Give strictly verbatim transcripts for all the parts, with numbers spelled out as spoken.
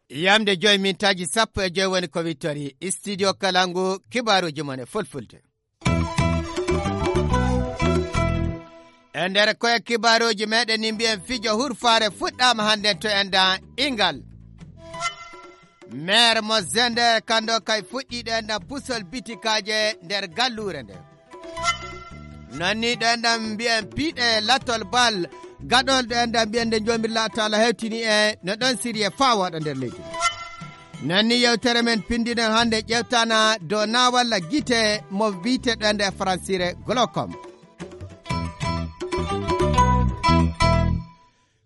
Yamde joyi mintaaji sappo e joyi woni ko wittori studio Kalangu, kibaaruuji mon e fulfulde. E nder koye kibaaruuji meɗen ni mbiyen fijo hurfaare fuɗɗaama hannden to enda Ingal. Maire mo Zender kanndo kay fuɗɗiiɗo enda pusol bitikaaje nder galluure nde. Non ni ɗo enɗan mbiyen piiɗe lattol bal gaɗol ɗo enɗan mbiyen nde Joomirlaa Taala hewtini e no ɗon siriye faa wooɗa nder leydi. Non ni yewtere men pinndinen hannde ƴeewtana dow naawalla gite mo wiyte ɗo enɗe e fransire glaucome.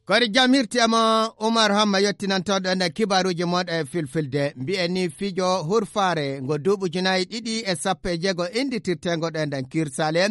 Kori jam hirti ama Umar Hamma yottinantooɗo ene kibaaruuji mooɗo e filfilde. Mbi'en ni fijo hurfaare ngo duuɓi ujunaaji ɗiɗi e sappo e jeego innditirteengo ɗo e nder Kirsale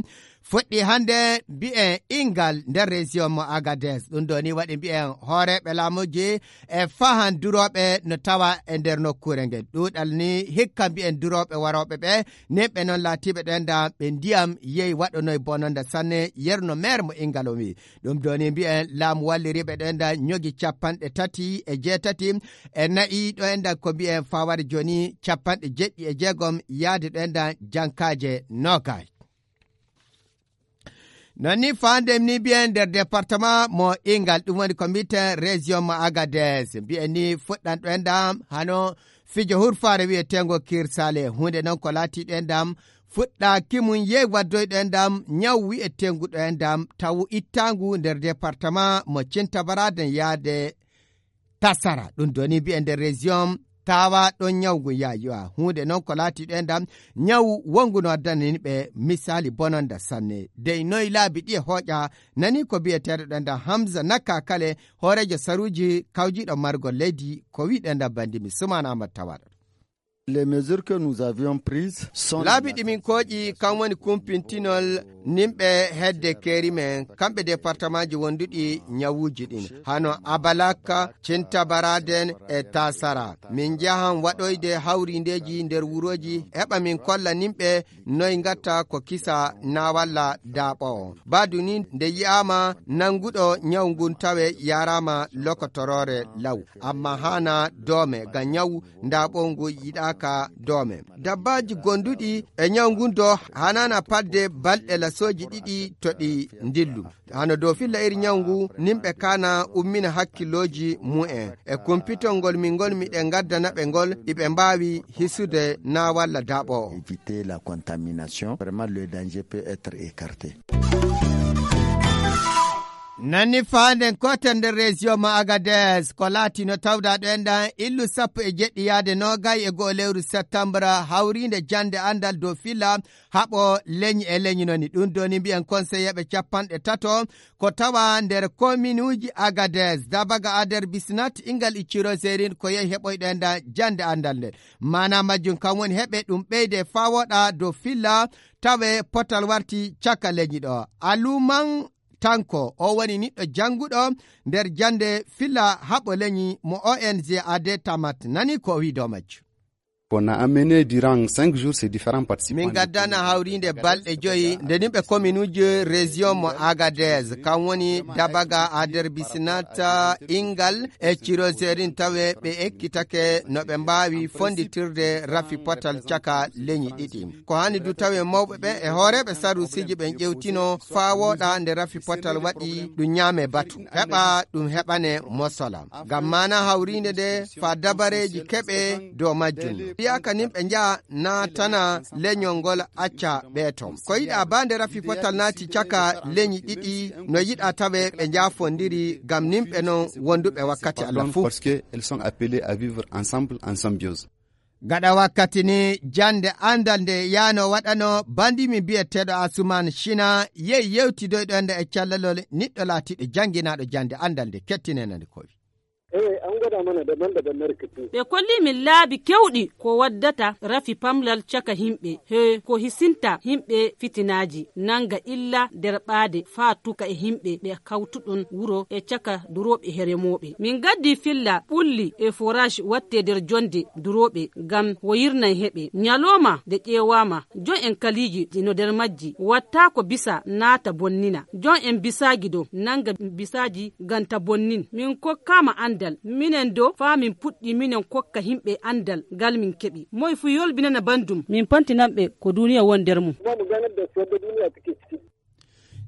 fuɗɗi hannde mbi'en Ingal nder région mo Agadez. Ɗum ɗo ni waɗi mbi'en hooreeɓe laamuuji e fahan durooɓe no tawa e nder nokkuure ngen. Ɗuuɗal ni hikka mbi'en durooɓe warooɓe ɓe, nen ɓe noon laatiiɓe ɗo enda ɓe ndiyam yehi waɗonoy bononda sanne yerno maire mo Ingal o wi'i. Ɗum ɗo ni mbi'en laamu walliriiɓe ɗo enda ñogi capanɗe tati e jeetati e nayi ɗo enda ko mbi'en fawade jooni capanɗe jeɗɗi e jeegom yaade ɗo enda jankaaje nogas. Non ni faandem ni mbi'en nder département mo Ingal, ɗum woni ko mbi'eten région mo Agadez. Mbi'en ni fuɗɗan ɗo enda hano fijo hurfaare wi'eteengo Kirsale. Huunde non ko laati ɗo endam fuɗɗaaki mum yehi waddoy ɗo endam ñaw wi'eteengu ɗo endam tawu ittaangu nder département mo Cintabaraden yaade Tasara. Ɗum doni mbi'en nder région tawa ɗon ñaw ngun yaayi. Huunde non ko laati ɗo endam ñaw wongu no addana yimɓe misali bononda sanne. Dey noy laabi ɗi e hooƴa nani ko mbi'eteeɗo ɗo endam Hamza Naka Kale hooreejo saruuji kawjiiɗo margol leydi ko wi'i ɗo endam bandi mi Sumaana Ahmad Tawaɗo. Les mesures que nous avions prises sont laabi ɗi min kooƴi kan woni kumpintinol nimɓe hedde keeri men kamɓe départementji wonduɗi ñawuuji ɗin hano Abalaka, Cintabaraden e Tasara. Min njahan waɗoyde hawrindeeji nder wurooji heɓa min kolla nimɓe noy ngatta ko kisa na walla daaɓo o. Baadu ni nde yi'aama nanguɗo ñaw ngun tawe yaaraama lokotoroore law. Amma haana doome ngam ñaw daaɓo ngu yiɗaaka doome. Dabbaaji gonduɗi e ñaw ngun do haanaana padde balɗe lasooji ɗiɗi to ɗi ndillu. Hano dow filla iri ñaw ngu nimɓe kaana ummina hakkillooji mu'en. E kumpitol ngol min ngol miɗen ngaddana ɓe ngol iɓe mbaawi hisude na walla daaɓo o. Éviter la contamination, vraiment le danger peut être écarté. Nanni faanden koten nder région mo Agadez ko laatino tawdaɗo en ɗan illu sappo e jeɗɗi yaade nogay e go'o lewru septembre hawriinde jannde anndal dow filla haɓo leñi e leñi noni. Ɗum doni mbiyen konseyeeɓe capanɗe tato ko tawa nder kominuuji Agadez, Dabaga, Ader, Bisnat, Ingal, Icciro, Zerin ko yehi heɓoyɗo en ɗan jannde anndal nden. Maana majjum kam woni heɓe ɗum ɓeyde faa woɗa dow filla tawe potal warti caka leñi ɗo. Aluman Tanko, o woni niɗɗo jannguɗo nder jannde filla haɓo leñi mo O N G A D Tamat nani ko o wi'i dow majjum. On a amené durant cinq jours ces différents participants. Min gaddana hawriinde balɗe joyi nde nimɓe kominuuji région mo Agadez, kan woni Dabaga, Ader, Bisinata, Ingal e Cirozerin tawe ɓe ekkitake no ɓe mbaawi fonditirde rafi potal caka leñi ɗiɗi. Ko hani du tawe mawɓe ɓe e hooreeɓe saruusiji ɓen ƴewtino faa wooɗa nde rafi potal waɗi ɗum ñaame batu. Heɓa ɗum heɓane mosola. Ngam maana hawriinde nde faa dabareeji keɓe dow majjum. Fiyaaka nin ɓe njaha naatana leñol ngol acca ɓee ton. Ko yiɗa baa nde rafi potal naati caka leñi ɗiɗi no yiɗa tawe ɓe njaafondiri ngam nin ɓe non wonduɓe wakkati Allah fuu. Parce que elles sont appelées à vivre ensemble en symbiose. Gaɗa wakkati ni jannde anndal nde yaano waɗano bandimi biyeteeɗo Asuman Shina yehi yewtidoyɗo ende e callalol niɗɗo laatiiɗo jannginaaɗo jannde anndal nde kettinenande kowi. Eey, an ngoda mana de banda da narkiti. Ɓe kolli min laabi kewɗi ko waddata rafi pamlal caka himɓe, he ko hisinta himɓe fitinaaji, nanga illa nder ɓaade faa tuka e himɓe ɓe kawtuɗon wuro e caka durooɓe heremooɓe. Min gaddi filla ɓulli e forage watte nder jonde durooɓe ngam woyirnan heɓe. Ñalooma de ƴeewaama, jon en kaliiji no nder majji, watta ko bisa naata bonnina. Jon en bisaaji do nanga bisaaji ganta bonnin. Min kokkaama andal, minen do faa min puɗɗi minen kokka himɓe andal ngal min keɓi. Moy fu yolbinana bandum. Min pantinan ɓe ko duniya woni nder mum. Ba mu ganar da su yadda duniya take ciki.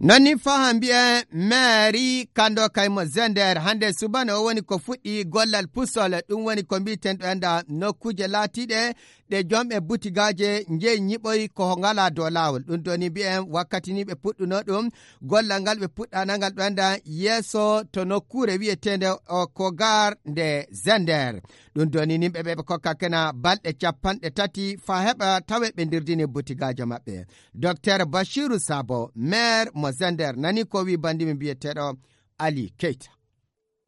Non ni faa mbiyen maire Kando Kaymo Zender hannde subaka o woni ko fuɗɗi gollal pusol, ɗum woni ko mbiiten ɗo enda nokkuuje laatiiɗe ɗe jomɓe butigaaje njeyi ñiɓoy ko ngalaa dow laawol. Ɗum ɗo ni mbiyen wakkati ni ɓe puɗɗuno ɗum, gollal ngal ɓe puɗɗana ngal ɗo enda yeeso to nokkuure wiyeteende o Kogar nde Zender. Ɗum ɗo ni nimɓe ɓe ɓe kokka kena balɗe capanɗe tati faa heɓa tawe ɓe ndirdini butigaaje maɓɓe. Docteur Bashiru Sabo, maire mo Zender, nani ko wi bandimi biyeteeɗo Ali Keita.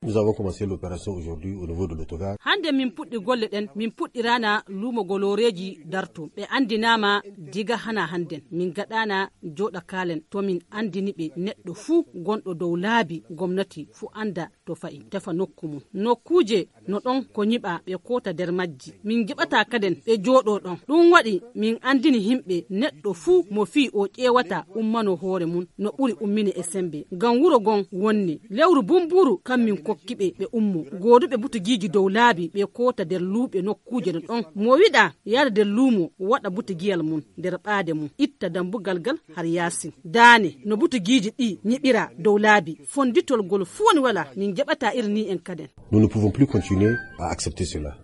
Nous avons commencé l'opération aujourd'hui au niveau de l'autogare. Hannde min puɗɗi golle ɗen, min puɗɗirana luumo golooreeji darto. Ɓe anndinaama diga hana hannden. Min gaɗana jooɗa kaalen to min anndini ɓe neɗɗo fuu gonɗo dow laabi gomnati fuu annda to fa'i, tefa nokku mum. Nokkuuje no ɗon ko ñiɓa ɓe koota nder majji. Min ngiɓata kaden ɓe jooɗo ɗon. Ɗum waɗi min anndini himɓe neɗɗo fuu mo fii o ƴeewata ummano hoore mum no ɓuri ummine e sembe. Ngam wuro gon wonni lewru bumburu kam min kokki ɓe ɓe ummo. Gooduɓe butugiiji dow laabi ɓe koota nder luuɓe nokkuuje no ɗon. Mo wiɗa yaada nder luumo waɗa butugiyal mum nder ɓaade mum. Itta dambugal gal har yaasin. Daane no butugiiji ɗi ñiɓira dow laabi. Fonditol gol fuu woni wala min njaɓata iri ni en kaden. Nous ne pouvons plus continuer à accepter cela.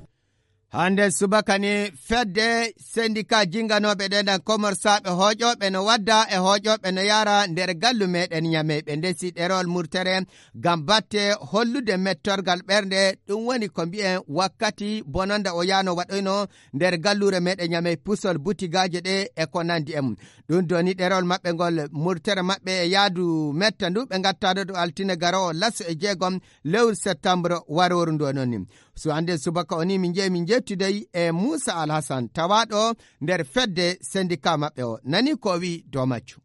Hannde subaka ni fedde sendika jinganooɓe ɗenɗan komorsaaɓe hooƴooɓe no wadda e hooƴooɓe no yaara nder gallu meɗen Ñamey. Ɓe ndesi ɗerewol murtere ngam batte hollude mettorgal ɓernde. Ɗum woni ko mbi'en wakkati bononda o yaano waɗoyno nder galluure meɗen Ñamey, pusol butigaaje ɗe e ko nandi e mum. Ɗum doni ɗerewol maɓɓe ngol murtere maɓɓe e yaadu metta ndu ɓe ngattaɗo ɗo altine garoowo laso e jeegom lewru septembre warooru ndu noon ni. So hannde subaka o ni min njehi min njettude e Muusa Alhasan tawaaɗo nder fedde sendika maɓɓe o. Nani ko o wi'i dow majjum.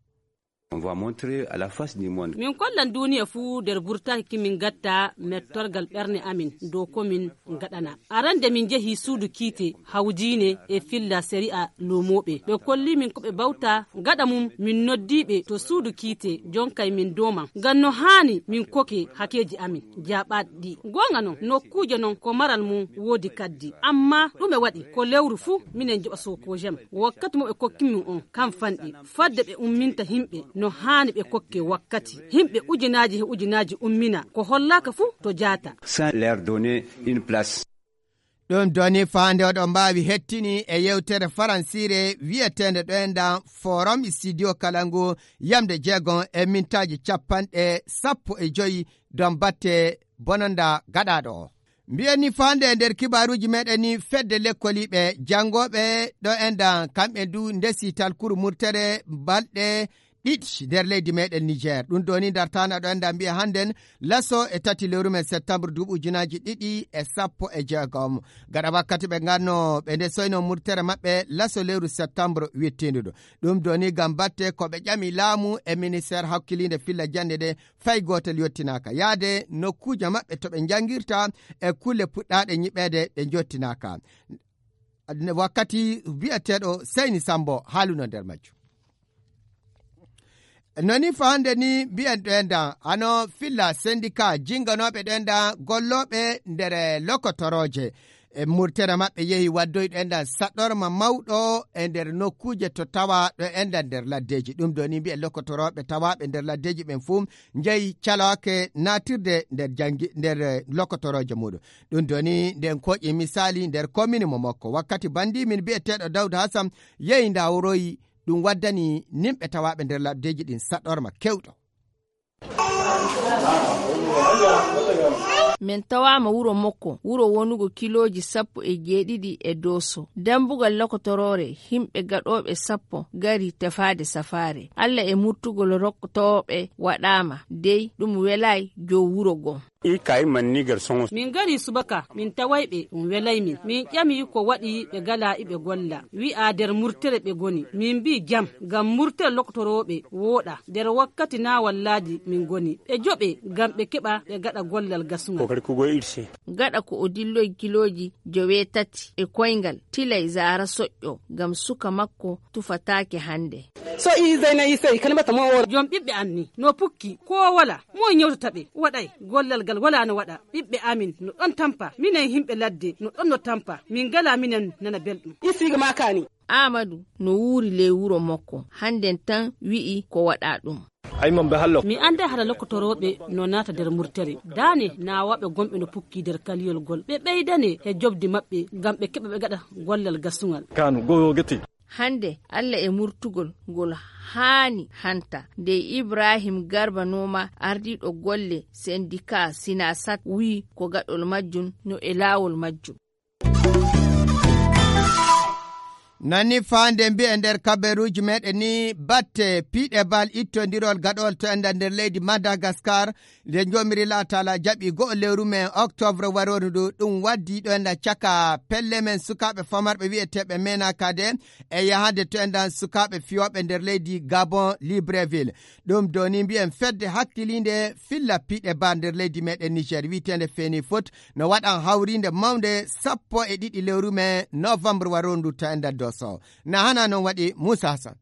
On va montrer à la face du monde. Min kollan duniya fuu nder burtaki min gatta mettorgal ɓerne amin dow ko min ngaɗana. Arande min njehi suudu kiite hawdiine e filla sari'a luumooɓe. Ɓe kolli min ko ɓe bawta gaɗa mum min noddi ɓe to suudu kiite jonkay min doman. Ngam no haani min koke hakeeji amin. Jaaɓaaɗi ɗi. Goonga non, nokkuuje non ko maral mum woodi kaddi. Amma ɗume waɗi ko lewru fuu minen njoɓa sookoojem. Wakkati mo ɓe kokki min on, kam fanɗi. Fadde ɓe umminta himɓe no haani ɓe kokke wakkati. Himɓe ujunaaji he ujunaaji ummina ko hollaaka fuu to jaata. Sans leur donner une place. Ɗum doni faande oɗo mbaawi hettini e yewtere faransiire wiyeteende ɗo enɗan Forum Studio Kalangu yamde jeegom e mintaaji capanɗe sappo e joyi don batte bononda gaɗaaɗo o. Mbiyen ni faande e nder kibaaruuji meɗen ni fedde lekkoliiɓe janngooɓe ɗo enɗan kamɓe du ndesi talkuru murtere balɗe ɗiɗi nder leydi meɗen Niger. Ɗum doni dartana ɗo enɗan mbiya hannden laso e tati lewru men septembre duuɓi ujunaaji ɗiɗi e sappo e jeegom. Gaɗa wakkati ɓe nganno ɓe ndesoyno murtere maɓɓe laso lewru septembre wittinduɗo. Ɗum doni ngam batte ko ɓe ƴami laamu e ministère hakkiliinde filla jannde ɗe fay gootel yottinaaka. Yaade nokkuuje maɓɓe to ɓe njanngirta e kulle puɗɗaaɗe ñiɓeede ɓe njottinaaka. Wakkati wi'eteeɗo Seyni Sambo haaluno nder majjum. Noni faande ni mbiyen ɗo enɗan hano filla sendika jinganooɓe ɗo enɗan gollooɓe nder lokotorooje. E murtere maɓɓe yehi waddoyɗo enɗan saɗɗorma mawɗo e nder nokkuuje to tawa ɗo enɗan nder laddeeji. Ɗum ɗo ni mbiyen lokotorooɓe tawaaɓe nder laddeeji ɓen fuu njehi caloake naatirde nder jangi-, nder, eh, lokotorooje muuɗum. Ɗum ɗo ni nden koƴi misaali nder komini mo makko. Wakkati bandi min bi'eteeɗo Dawda Hasan yehi ndawroyi ɗum waddani nimɓe tawaaɓe nder laddeeji ɗin saɗɗorma kewɗo. Min tawaama wuro makko, wuro wonugo kilooji sappo e jeeɗiɗi e Dooso. Dambugal lokotoroore, himɓe gaɗooɓe sappo ngari tefaade safaare. Alla e murtugol rokkotooɓe waɗaama, dey ɗum welaay jow wuro goo. I kay manni gar soŋo. Min gari subaka, min taway ɓe, ɗum welay min. Min ƴami ko waɗi ɓe gala iɓe golla. Wi'a der murtere ɓe goni. Min mbi jam, ngam murtere lokotorooɓe wooɗa. Der wakkati na wallaaji min goni. Ɓe joɓe, ngam ɓe keɓa ɓe gaɗa gollal gasuŋal. Kokari kugo irse. Gaɗa ko o dilloy kilooji joweetati e koyngal, tilay zaara soƴƴo, ngam suka makko tufataake hande. So i zayna i sey, kan bata mo wora. Jom ɓiɓɓe am ni, no pukki, ko wala, mo nyawtata ɓe, waɗay, gollal gal wala no waɗa, ɓiɓɓe amin, no ɗon tampa, minen himɓe ladde, no ɗon no tampa, min gala minen nana belɗum. I siga makani. Amadu no wuuri ley wuro makko, handen tan wi'i ko waɗa ɗum. Ay, mon be hallo. Mi anda hara lokotorooɓe no naata der murtere. Daane naawaɓe gonɓe no pukki der kaliyol gol. Ɓe ɓeydane he jobdi maɓɓe, ngam ɓe keɓa ɓe gaɗa gollal gasuŋal. Kanu, go geti. Hande, Alla e murtugol ngol haani hanta. Nde Ibrahim Garba Nooma, ardiiɗo golle sendika Sinasat, wi'i ko gaɗol majjum no e laawol majjum. Nani faande mbi'e nder kabaruuji meɗen ni, batte piiɗe bal ittondirol gaɗol to enda nder leydi Madagascar, nde jomiri laatala jaɓi go'o lewru men octobre waroru ndu, ɗum waddi ɗo enda caka pelle men sukaaɓe famarɓe wi'eteeɓe mena kade e yahande to enda sukaaɓe fiyooɓe nder leydi Gabon, Libreville. Ɗum doni mbi'en fedde hakkiliinde filla piiɗe bal nder leydi meɗen Niger wi'eteende Feni Foot no waɗan hawriinde mawnde sappo e ɗiɗi lewru men novembre waroru ndu to enda Doso. Na hana non waɗi Musa Hassan.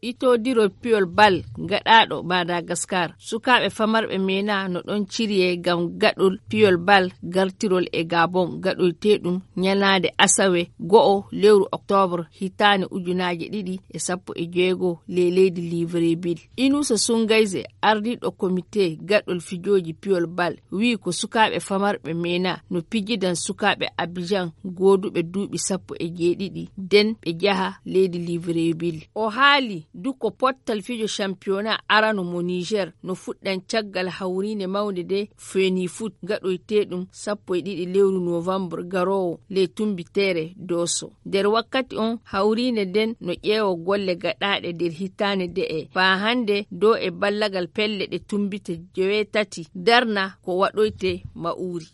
Itodiro piyol bal gaɗaaɗo Madagascar. Sukaaɓe famarɓe mena no ɗon cirye ngam gaɗol piyol bal gartirol e Gabon gaɗoyteeɗum nyalaande asawe go'o lewru octobre hitaande ujunaaje ɗiɗi e sappo e jeego ley leydi Libreville. Inusa Sungayze, ardiiɗo komite gaɗol fijooji piyol bal, wi'i ko sukaaɓe famarɓe mena no pijidan sukaaɓe Abidjan gooduɓe duuɓi sappo e jeeɗiɗi den ɓe jaha leydi Libreville. O haali du ko pottal fijo championnat arano mo Niger no fuɗɗan caggal hawriinde mawnde de Feni Foot gaɗoyteeɗum sappo e ɗiɗi lewru novembre garoowo ley tumbiteere Doso. Nder wakkati on, hawriinde nden no ƴeewa golle gaɗaaɗe nder hitaande de'e. Faa hande, dow e ballagal pelle ɗe tumbite joweetati darna ko waɗoyte ma'uri.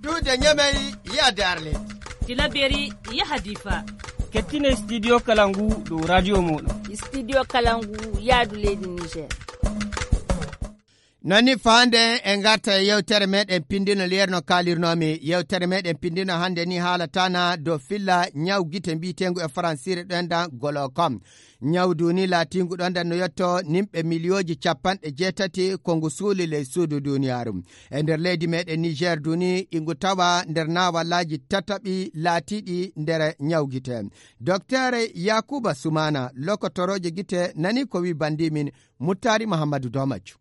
Duude Ñamey yaade Arlet. Tilaberi yaha Difa. Kettine Studio Kalangu dow radio mooɗon. Studio Kalangu yaadu leydi Niger. Nani faande en ngarta e yewtere meɗen pindino, liyerno kaalirnomi yewtere meɗen pindino hande ni haalatana dow filla ñaw gite mbiyeteengu e faransiire ɗoendan glaucome. Ñaw duni laatingu ɗoendan no yetto nimɓe miliyooji capanɗe jeetati ko ngu suuli ley suudu duniyaaru. E nder leydi meɗen Niger duni ingu tawa nder naawallaaji tataɓi laatiiɗi nder ñaw gite. Docteur Yakuba Sumana, lokotoroojo gite, nani ko wi bandi min Muttari Muhammadu Domajo.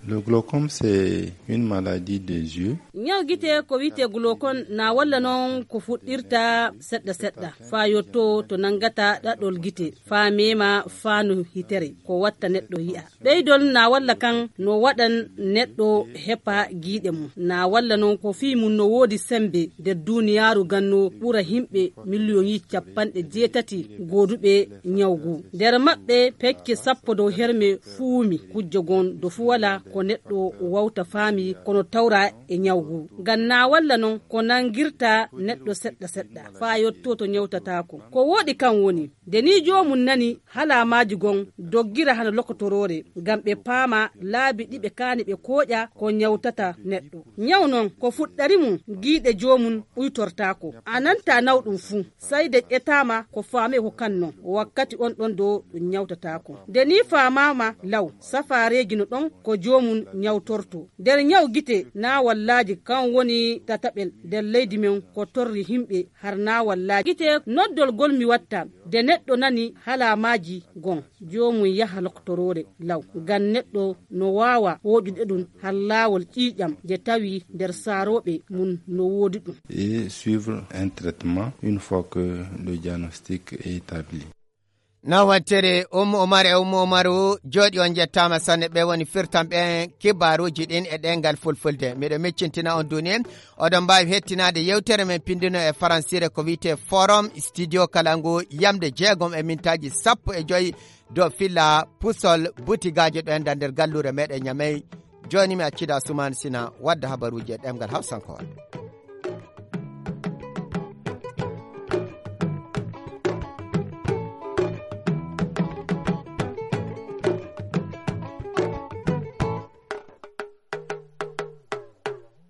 Le glaucome, c'est une maladie des yeux. Ñaw gite ko wi'etee glaucome na walla non ko fuɗɗirta seɗɗa seɗɗa, faa yotto to nangata ɗaɗol gite, faa meema faa no hitere, ko watta neɗɗo yi'a. Ɓeydol na walla kan no waɗan neɗɗo hepa giiɗe mum. Na walla non ko fii mum no woodi sembe nder duniyaaru ganno ɓura himɓe miliyoŋi capanɗe jeetati gooduɓe ñaw gu. Nder maɓɓe pecce sappo dow herme fuumi kujje gon do fu wala ko neɗɗo wawta faami kono tawra e ñaw gu. Ngam na walla non ko nangirta neɗɗo seɗɗa seɗɗa faa yotto to ñawtataako. Ko wooɗi kan woni, nde ni joomum nani halaamaaji gon doggira hano lokotoroore, ngam ɓe paama laabi ɗi ɓe kaani ɓe kooƴa ko ñawtata neɗɗo. Ñaw non ko fuɗɗari mum giiɗe joomum ɓuytortaako. A nanta nawɗum fu, sai de ƴetaama ko faame ko kan non. Wakkati on ɗon do ɗum ñawtataako. Nde ni faamaama law, safaareeji no ɗon ko joomum ñawtorto. Nder ñaw gite na wallaaji kan woni tataɓel nder leydi men ko torri himɓe har na wallaaji. Gite noddol gol mi watta, nde neɗɗo nani halaamaaji gon, joomum yaha lokotoroore law. Ngam neɗɗo no waawa wooɗude ɗum har laawol ƴiiƴam, nde tawi nder saarooɓe mum no woodi ɗum. Et suivre un traitement une fois que le diagnostic est établi. Nawattere Ummu Umar e Ummu Umaru jooɗi, on njettaama sanne. Ɓe woni firtan ɓen kibaaruuji ɗin e ɗemngal fulfulde. Miɗo miccintina on duni, oɗon mbaawi hettinaade yewtere men pindino e faransiire ko wi'etee Forum Studio Kalangu yamde jeegom e mintaaji sappo e joy dow filla pusol butigaaji ɗoendan nder galluure meɗen Ñamey. Jooni mi accida Sumaani Sina wadda habaruuji e ɗemngal Hawsankowal.